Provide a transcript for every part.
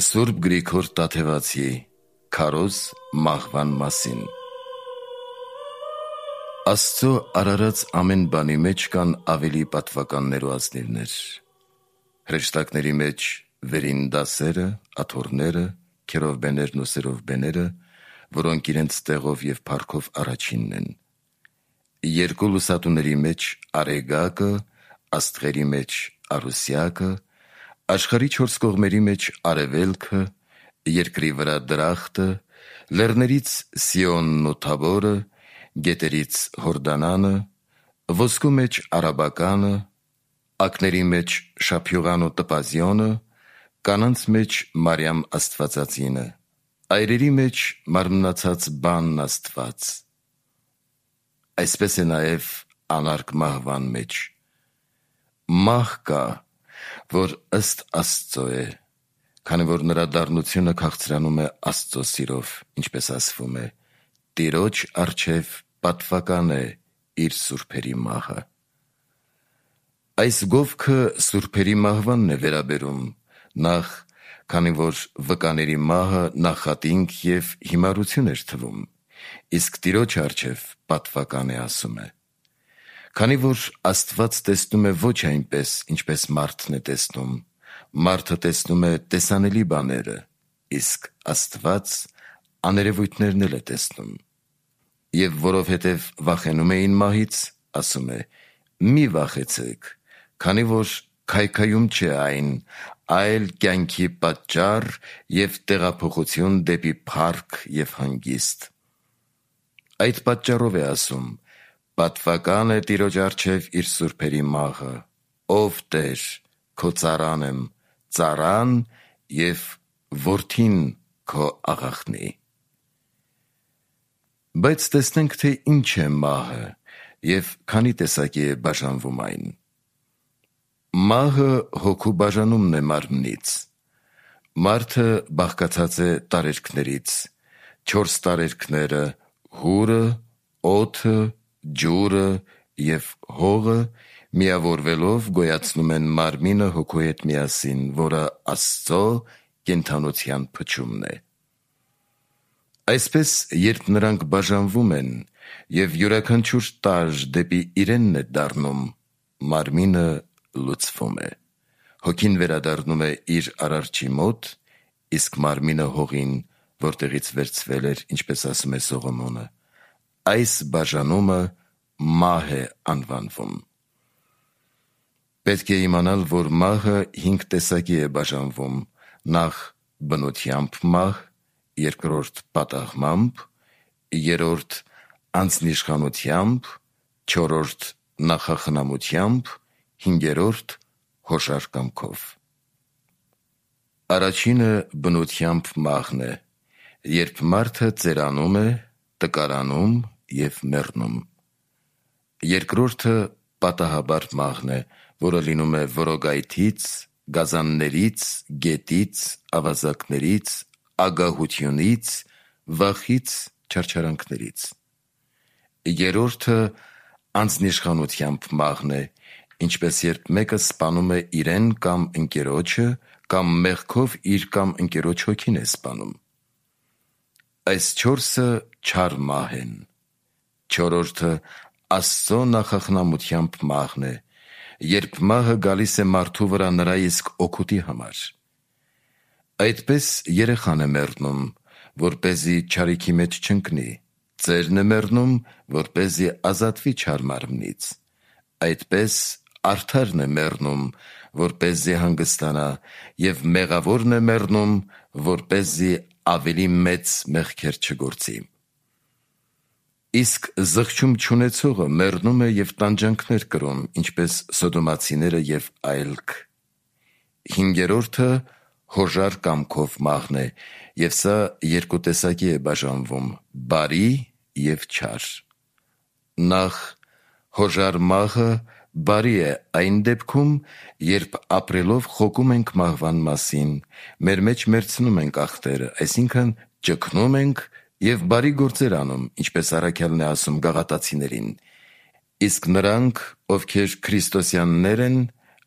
Սուրբ Գրիգոր Տաթևացի քարոզ մահվան մասին։ Աստծո արարած ամեն բանի մեջ կան ավելի պատվականներ ու ազնիվներ։ Հրեշտակների մեջ վերին դասերը, աթոռները, քերովբեներն ու սերովբեները, որոնք իրենց տեղով և փառքով առաջինն են։ Երկու լուսատուների մեջ արեգակը, աստղերի մեջ արուսյակը, աշխարհի չորս կողմերի մեջ արևելքը, երկրի վրա դրախտը, լեռներից Սիոնն ու Թաբորը, գետերից Հորդանանը, ոսկու մեջ արաբականը, ակների մեջ շափյուղան ու տպազյոնը, կանանց մեջ Մարիամ Աստվածածինը, այրերի մեջ մարմնացած բանն Աստված։ Այսպես է նաև անարգ մահվան մեջ։ Մահ կա, որ ըստ Աստծո է, քանի որ նրա դառնությունը քաղցրանում է Աստծո սիրով, ինչպես ասվում է. Տիրոջ առջև պատվական է իր սուրբերի մահը։ Այս գովքը սուրբերի մահվանն է վերաբերում, նախ, քանի որ վկաների մահը նախատինք և հիմարություն էր թվում, իսկ Տիրոջ առջև պատվական է ասում է։ Քանի որ Աստված տեսնում է ոչ այնպես, ինչպես մարդն է տեսնում, մարդը տեսնում է տեսանելի բաները, իսկ Աստված աներևույթներն էլ է տեսնում։ Եվ որովհետև վախենում էին մահից, ասում է. մի վախեցեք, քանի որ քայքայում չէ այն, այլ կյանքի պատճառ և տեղափոխություն դեպի փառք և հանգիստ։ Այդ պատճառով է ասում. պատվական է Տիրոջ առջև իր սուրբերի մահը, ով Տեր, քո ծառան եմ, ծառան և որդին քո աղախնի։ Բայց տեսնենք, թե ինչ է մահը և քանի տեսակի է բաժանվում այն։ Մահը հոգու բաժանումն է մարմնից։ Մարդը բաղկացած է տարերքներից, 4 տարերքները՝ հուրը, օդը, ջուրը և հողը միավորվելով գոյացնում են մարմինը հոգու հետ միասին, որը Աստծո կենդանության փչումն է։ Այսպես, երբ նրանք բաժանվում են և յուրաքանչյուր տարր դեպի իրենն է դառնում, մարմինը լուծվում է, հոգին վերադառնում է իր արարչի մոտ, իսկ մարմինը հողին, որտեղից վերցվել էր, ինչպես ասում է Սողոմոնը, այս բաժանումը մահ է անվանվում։ Պետք է իմանալ, որ մահը 5 տեսակի է բաժանվում. նախ բնությամբ մահ, երկրորդ պատահմամբ, երրորդ անձնիշխանությամբ, չորրորդ նախախնամությամբ, հինգերորդ հոշար կամքով։ Առաջինը բնությամբ մահն է, երբ մարդը ծերանում է, տկարանում և մեռնում։ Երկրորդը պատահաբար մահն է, որը լինում է որոգայթից, գազաններից, գետից, ավազակներից, ագահությունից, վախից, չարչարանքներից։ Երրորդը անձնիշխանությամբ մահն է, ինչպես երբ մեկը սպանում է իրեն կամ ընկերոջը, կամ մեղքով իր կամ ընկերոջ հոգին է սպանում։ Այս 4-ը չար մահ են։ Չորրորդը Աստծո նախախնամությամբ մահն է, երբ մահը գալիս է մարդու վրա նրա իսկ օգուտի համար։ Այդպես երեխան է մեռնում, որպեսզի չարիքի մեջ չընկնի, ծերն է մեռնում, որպեսզի ազատվի չար մարմնից։ Այդպես արդարն է մեռնում, որպեսզի հանգստանա, և մեղավորն է մեռնում, որպեսզի ավելի մեծ մեղքեր չգործի։ Իսկ զղջում չունեցողը մեռնում է և տանջանքներ կրում, ինչպես սոդոմացիները և այլք։ Հինգերորդը հոժար կամքով մահն է, և սա 2 տեսակի է բաժանվում. բարի և չար։ Նախ հոժար մահը բարի է այն դեպքում, երբ ապրելով խոկում ենք մահվան մասին, մեր մեջ մեռցնում ենք ախտերը, այսինքն ճգնում ենք և բարի գործեր անում, ինչպես առաքյալն է ասում Գաղատացիներին. իսկ նրանք, ովքեր քրիստոսյաններ են,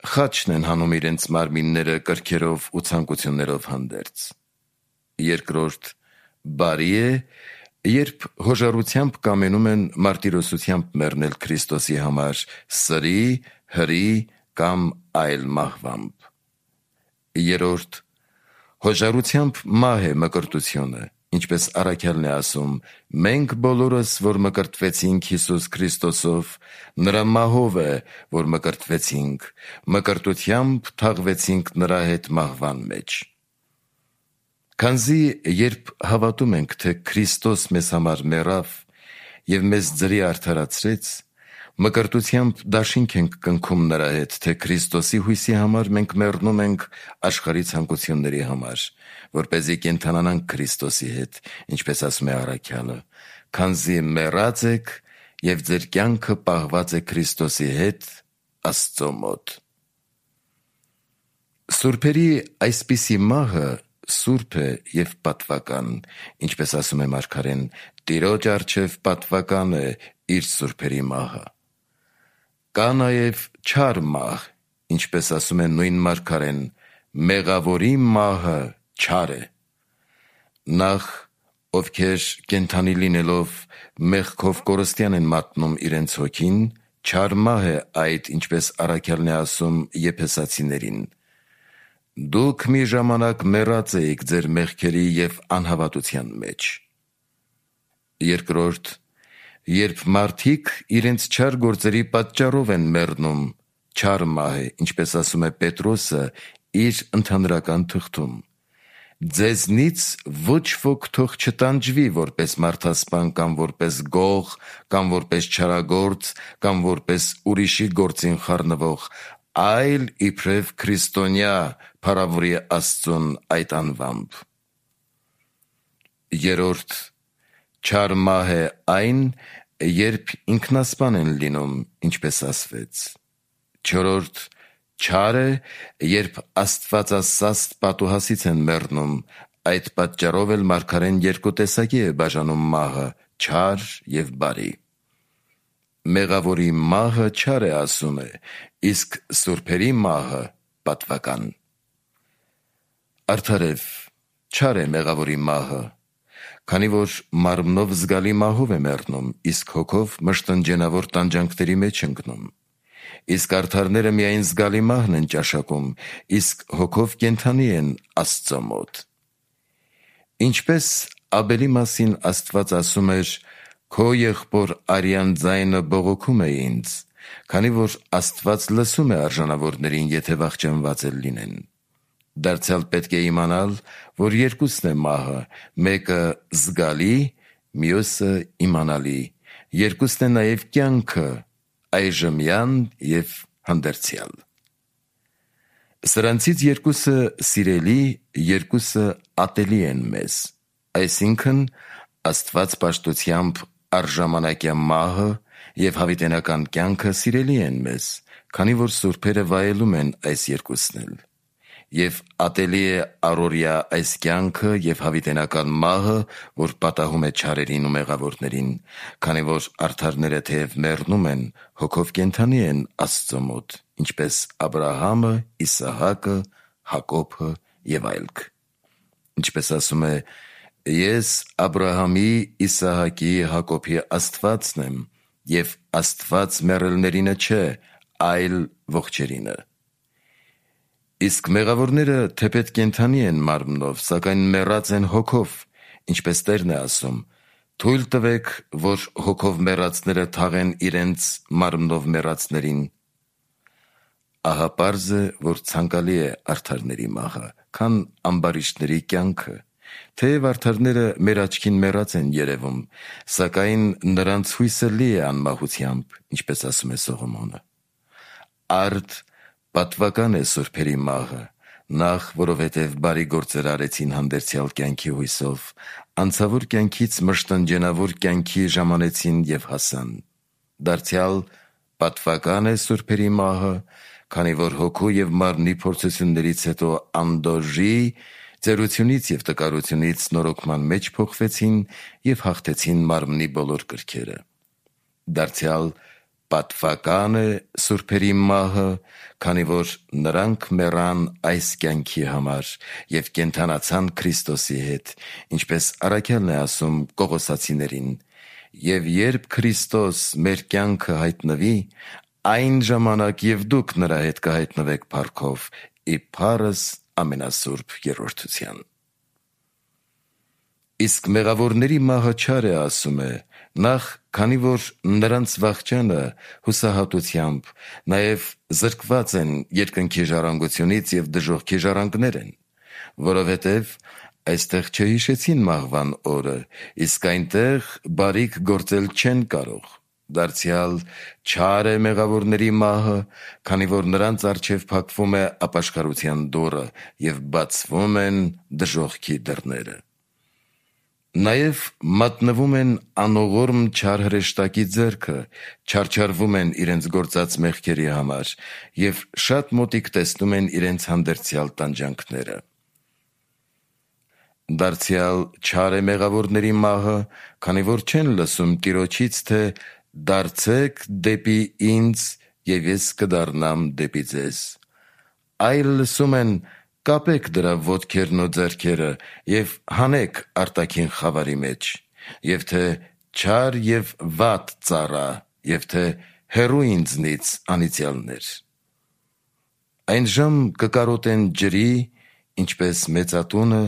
խաչն են հանում իրենց մարմինները կրքերով ու ցանկություններով հանդերձ։ Երկրորդ, բարի է, երբ հոժարությամբ կամենում են մարտիրոսությամբ մեռնել Քրիստոսի համար սրի, հրի կամ այլ մահվամբ։ Երրորդ, հոժարությամբ մահ է մկրտությունը, ինչպես առաքյալն է ասում. «Մենք բոլորս, որ մկրտվեցինք Հիսուս Քրիստոսով, նրա մահով է, որ մկրտվեցինք, մկրտությամբ թաղվեցինք նրա հետ մահվան մեջ»։ Քանզի երբ հավատում ենք, թե Քրիստոս մեզ համար մեռավ և մեզ ձրի արդարացրեց, մկրտությամբ դաշինք ենք կնքում նրա հետ, թե Քրիստոսի հույսի համար մենք մեռնում ենք աշխարհի ցանկությունների համար, որպեսզի կենդանանանք Քրիստոսի հետ, ինչպես ասում է առաքյալը, քանզի մեռած եք և ձեր կյանքը պահված է Քրիստոսի հետ Աստծո մոտ։ Սուրբերի այսպիսի մահը սուրբ է և պատվական, ինչպես ասում է մարգարեն. «Տիրոջ առջև պատվական է իր սուրբերի մահը»։ Կա նաև չար մահ, ինչպես ասում է նույն մարգարեն. «Մեղավորի մահը չար է»։ Նախ, ովքեր կենդանի լինելով մեղքով կորստյան են մատնում իրենց հոգին, չար մահ է այդ, ինչպես առաքյալն է ասում Եփեսացիներին. «Դուք մի ժամանակ մեռած էիք ձեր մեղքերի և անհավատության մեջ»։ Երկրորդ, երբ մարդիկ իրենց չար գործերի պատճառով են մեռնում, չար մահ է, ինչպես ասում է Պետրոսը իր ընդհանրական թղթում. «Ձեզնից ոչ ոք թող չտանջվի որպես մարդասպան կամ որպես գող կամ որպես չարագործ կամ որպես ուրիշի գործին խառնվող, այլ իբրև քրիստոնյա փառավորի Աստծուն այդ անվամբ»։ Երրորդ, չար մահ է այն, երբ ինքնասպան են լինում, ինչպես ասվեց։ Չորրորդ, չար է, երբ աստվածասաստ պատուհասից են մեռնում, այդ պատճառով էլ մարգարեն երկու տեսակի է բաժանում մահը՝ չար և բարի։ Մեղավորի մահը չար է, ասում է, իսկ սուրբերի մահը պատվական։ Արդարև, չար է մեղավորի մահը, քանի որ մարմնով զգալի մահով է մեռնում, իսկ հոգով մշտնջենավոր տանջանքների մեջ ընկնում։ Իսկ արդարները միայն զգալի մահն են ճաշակում, իսկ հոգով կենդանի են Աստծո մոտ։ Ինչպես Աբելի մասին Աստված ասում էր. «Քո եղբոր արյան ձայնը բողոքում է ինձ», քանի որ Աստված լսում է արժանավորներին, եթե վախճանված էլ լինեն։ Դարձյալ պետք է իմանալ, որ երկուսն է մահը, մեկը զգալի, մյուսը իմանալի, երկուսն է նաև կյանքը, այժմյան և հանդերձյալ։ Սրանցից երկուսը սիրելի, երկուսը ատելի են մեզ, այսինքն Աստված պաշտությամբ առժամանակյա մահը և հավիտենական կյանքը սիրելի են մեզ, քանի որ սուրբերը վայելում են այս երկուսն էլ, և ատելի է առօրյա այս կյանքը և հավիտենական մահը, որ պատահում է չարերին ու մեղավորներին, քանի որ արդարները թեև մեռնում են, հոգով կենդանի են Աստծո մոտ, ինչպես Աբրահամը, Իսահակը, Հակոբը և այլք։ Ինչպես ասում է. «Ես Աբրահամի, Իսահակի, Հակոբի Աստվածն եմ, և Աստված մեռելներինը չէ, այլ ողջերինը»։ Իսկ մեղավորները թեպետ կենդանի են մարմնով, սակայն մեռած են հոգով, ինչպես Տերն է ասում. «Թույլ տվեք, որ հոգով մեռածները թաղեն իրենց մարմնով մեռածներին»։ Ահա պարզ է, որ ցանկալի է արդարների մահը, քան ամբարիշտների կյանքը, թեև արդարները մեր աչքին մեռած են երևում, սակայն նրանց հույսը լի է անմահությամբ, ինչպես ասում է Սողոմոնը։ Արդ պատվական է սուրբերի մահը, նախ, որովհետև բարի գործեր արեցին հանդերձյալ կյանքի հույսով, անցավոր կյանքից մշտնջենավոր կյանքի ժամանեցին և հասան։ Դարձյալ պատվական է սուրբերի մահը, քանի որ հոգու և մարմնի փորձություններից հետո անդորժի ծերությունից և տկարությունից նորոգման մեջ փոխվեցին և հաղթեցին մարմնի բոլոր կրքերը։ Դարձյալ Պատվական է սուրբերի մահը, քանի որ նրանք մեռան այս կյանքի համար և կենդանացան Քրիստոսի հետ, ինչպես առաքյալն է ասում Կողոսացիներին. «Եվ երբ Քրիստոս մեր կյանքը հայտնվի, այն ժամանակ և դուք նրա հետ կհայտնվեք փառքով, ի փառս ամենասուրբ երրորդության»։ Իսկ մեղավորների մահը չար է, ասում է, նախ, քանի որ նրանց վախճանը հուսահատությամբ, նաև զրկված են երկնքի ժառանգությունից և դժոխքի ժառանգներ են, որովհետև այստեղ չհիշեցին մահվան օրը, իսկ այնտեղ բարիք գործել չեն կարող, դարձյալ չար է մեղավորների մահը, քանի որ նրանց առջև փակվում է ապաշխարության դուռը և բացվում են դժոխքի դռները։ Նաև մատնվում են անողորմ չար հրեշտակի ձեռքը, չարչարվում են իրենց գործած մեղքերի համար և շատ մոտիկ տեսնում են իրենց հանդերձյալ տանջանքները։ Դարձյալ չար է մեղավորների մահը, քանի որ չեն լսում Տիրոջից, թե «Դարձեք դեպի ինձ, և ես կդառնամ դեպի ձեզ», այլ լսում են «Կապեք դրա ոտքերն ու ձեռքերը և հանեք արտաքին խավարի մեջ», և թե «Չար և վատ ծառա», և թե «Հեռու ինձնից անիծյալներ»։ Այնժամ կկարոտեն ջրի, ինչպես մեծատունը,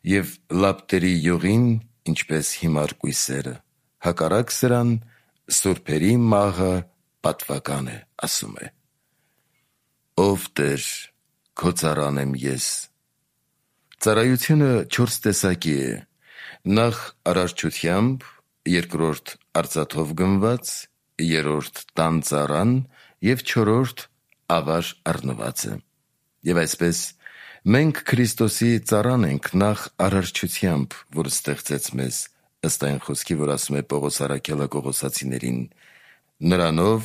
և լապտերի յուղին, ինչպես հիմար կույսերը. հակառակ սրան, սուրբերի մահը պատվական է, ասում է։ Ով Տեր, քո ծառան եմ ես։ Ծառայությունը 4 տեսակի է. նախ արարչությամբ, երկրորդ արծաթով գնված, երրորդ տան ծառան և չորրորդ ավար առնվածը։ Եվ այսպես, մենք Քրիստոսի ծառան ենք նախ արարչությամբ, որ ստեղծեց մեզ, ըստ այն խոսքի, որ ասում է Պողոս առաքյալը Կողոսացիներին. նրանով,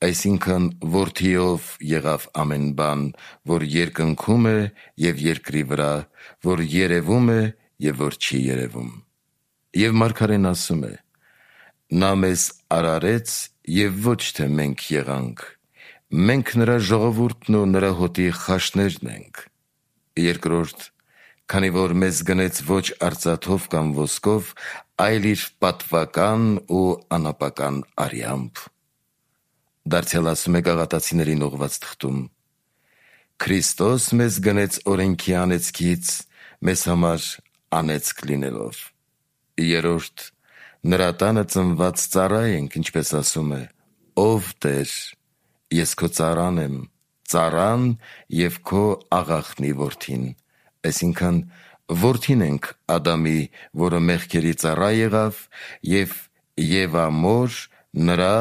այսինքն որդիով եղավ ամեն բան, որ երկնքում է և երկրի վրա, որ երևում է և որ չի երևում։ Եվ մարգարեն ասում է. նա մեզ արարեց և ոչ թե մենք եղանք, մենք նրա ժողովուրդն ու նրա հոտի խաշներն ենք։ Երկրորդ, քանի որ մեզ գնեց ոչ արծաթով կամ ոսկով, այլ իր պատվական ու անապական արյամբ։ Դարձյալ ասում է Գաղատացիներին ուղղված թղթում. Քրիստոս մեզ գնեց օրենքի անեծքից, մեզ համար անեծք լինելով։ Երրորդ, նրա տանը ծնված ծառա ենք, ինչպես ասում է. «Ով Տեր, ես քո ծառան եմ, ծառան և քո աղախնի որդին», այսինքն որդին ենք Ադամի, որը մեղքերի ծառա եղավ, և Եվա մոր նրա,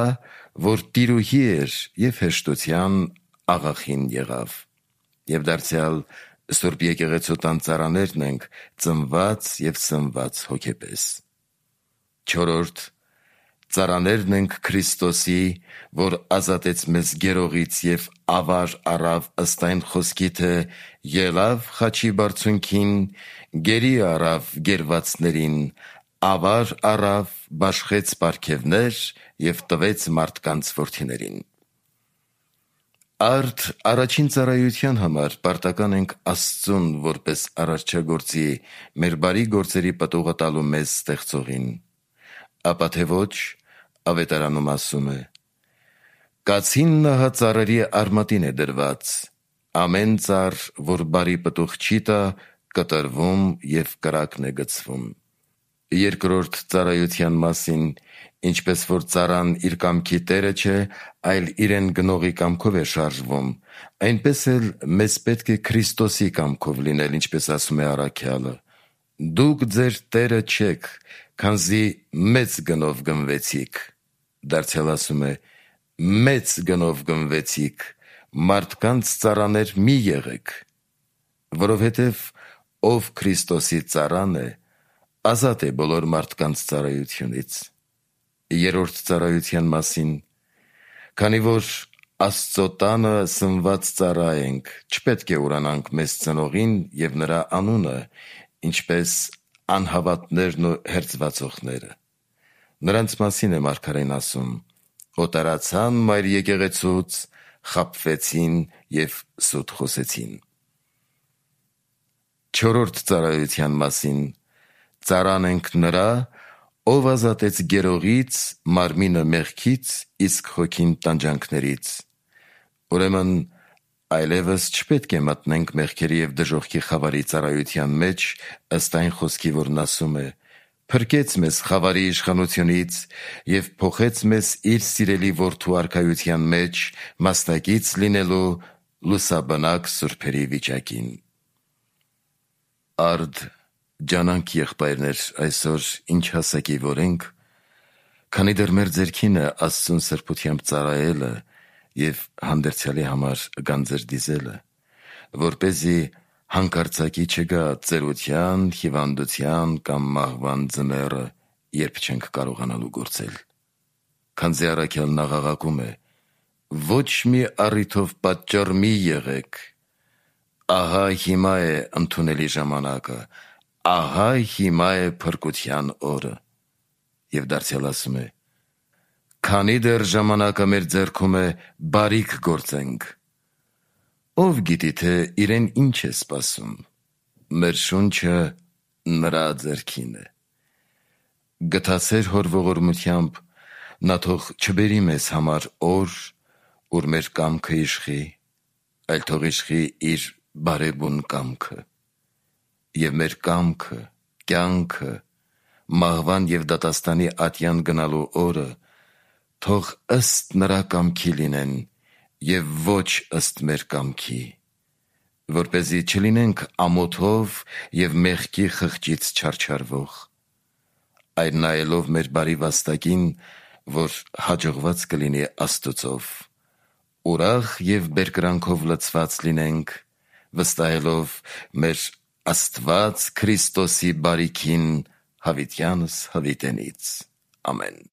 որ տիրուհի էր և հեշտության աղախին եղավ։ Եվ դարձյալ Սուրբ եկեղեցու տան ծառաներն ենք, ծնված և սնված հոգեպես։ Չորրորդ, ծառաներն ենք Քրիստոսի, որ ազատեց մեզ գերողից և ավար առավ ըստ այն խոսքի, թե ելավ խաչի բարձունքին, գերի առավ գերվածներին, ավար առավ, բաշխեց պարգևներ և տվեց մարդկանց որդիներին։ Արդ առաջին ծառայության համար պարտական ենք Աստծուն, որպես արարչագործի, մեր բարի գործերի պտուղը տալու մեզ ստեղծողին։ Ապա թե ոչ, Ավետարանում ասում է. «Կացին նահա ծառերի արմատին է դրված, ամեն ծառ, որ բարի պտուղ չի տա, կտրվում և կրակն է գցվում»։ Երկրորդ ծառայության մասին, ինչպես որ ծառան իր կամքի տերը չէ, այլ իրեն գնողի կամքով է շարժվում, այնպես էլ մեզ պետք է Քրիստոսի կամքով լինել, ինչպես ասում է առաքյալը. «Դուք ձեր տերը չեք, քանզի մեծ գնով գնվեցիք», դարձյալ ասում է. «Մեծ գնով գնվեցիք, մարդկանց ծառաներ մի եղեք», որովհետև ով Քրիստոսի ծառան է, ազատ է բոլոր մարդկանց ծառայությունից։ Երրորդ ծառայության մասին. քանի որ Աստծո տանը սնված ծառա ենք, չպետք է ուրանանք մեզ ծնողին և նրա անունը, ինչպես անհավատներն ու հերձվածողները։ Նրանց մասին է մարգարեն ասում. հոտարացան մայր եկեղեցուց, խաբվեցին և սուտ խոսեցին։ Չորրորդ ծառայության մասին. ծառանենք նրա, ով ազատեց գերողից, մարմինը մեղքից, իսկ հոգին տանջանքներից։ Ուրեմն այլևս չպետք է մտնենք մեղքերի և դժոխքի խավարի ծառայության մեջ, ըստ այն խոսքի, որն ասում է. «Փրկեց մեզ խավարի իշխանությունից և փոխեց մեզ իր սիրելի որդու արքայության մեջ, մասնակից լինելու լուսաբնակ սուրբերի վիճակին»։ Արդ ջանանք եղբայրներ, այսօր ինչ հասակի որ ենք, քանի դեռ մեր ձեռքին է Աստծուն սրբությամբ ծառայելը և հանդերձյալի համար գանձեր դիզելը, որպեսզի հանկարծակի չգա ծերության, հիվանդության կամ մահվան ձմեռը, երբ չենք կարողանալու գործել։ Քանզի առաքյալն աղաղակում է. «Ոչ մի առիթով պատճառ մի եղեք, ահա հիմա է ընդունելի ժամանակը, ահա հիմա է փրկության օրը»։ Եվ դարձյալ ասում է. «Քանի դեռ ժամանակը մեր ձեռքում է, բարիք գործենք»։ Ով գիտի, թե իրեն ինչ է սպասում։ Մեր շունչը նրա ձեռքին է։ Գթացեր հոր ողորմությամբ, նա թող չբերի մեզ համար օր, ուր մեր կամքը իշխի, այլ թող իշխի իր բարեբուն կամքը։ Եվ մեր կամքը, կյանքը, մահվան և դատաստանի ատյան գնալու օրը թող ըստ նրա կամքի լինեն և ոչ ըստ մեր կամքի, որպեսզի չլինենք ամոթով և մեղքի խղճից չարչարվող, այլ նայելով մեր բարի վաստակին, որ հաջողված կլինի Աստծով, ուրախ և բերկրանքով լցված լինենք, վստահելով մեր Աստված Քրիստոսի բարիքին հավիտյանս հավիտենից։ Ամեն։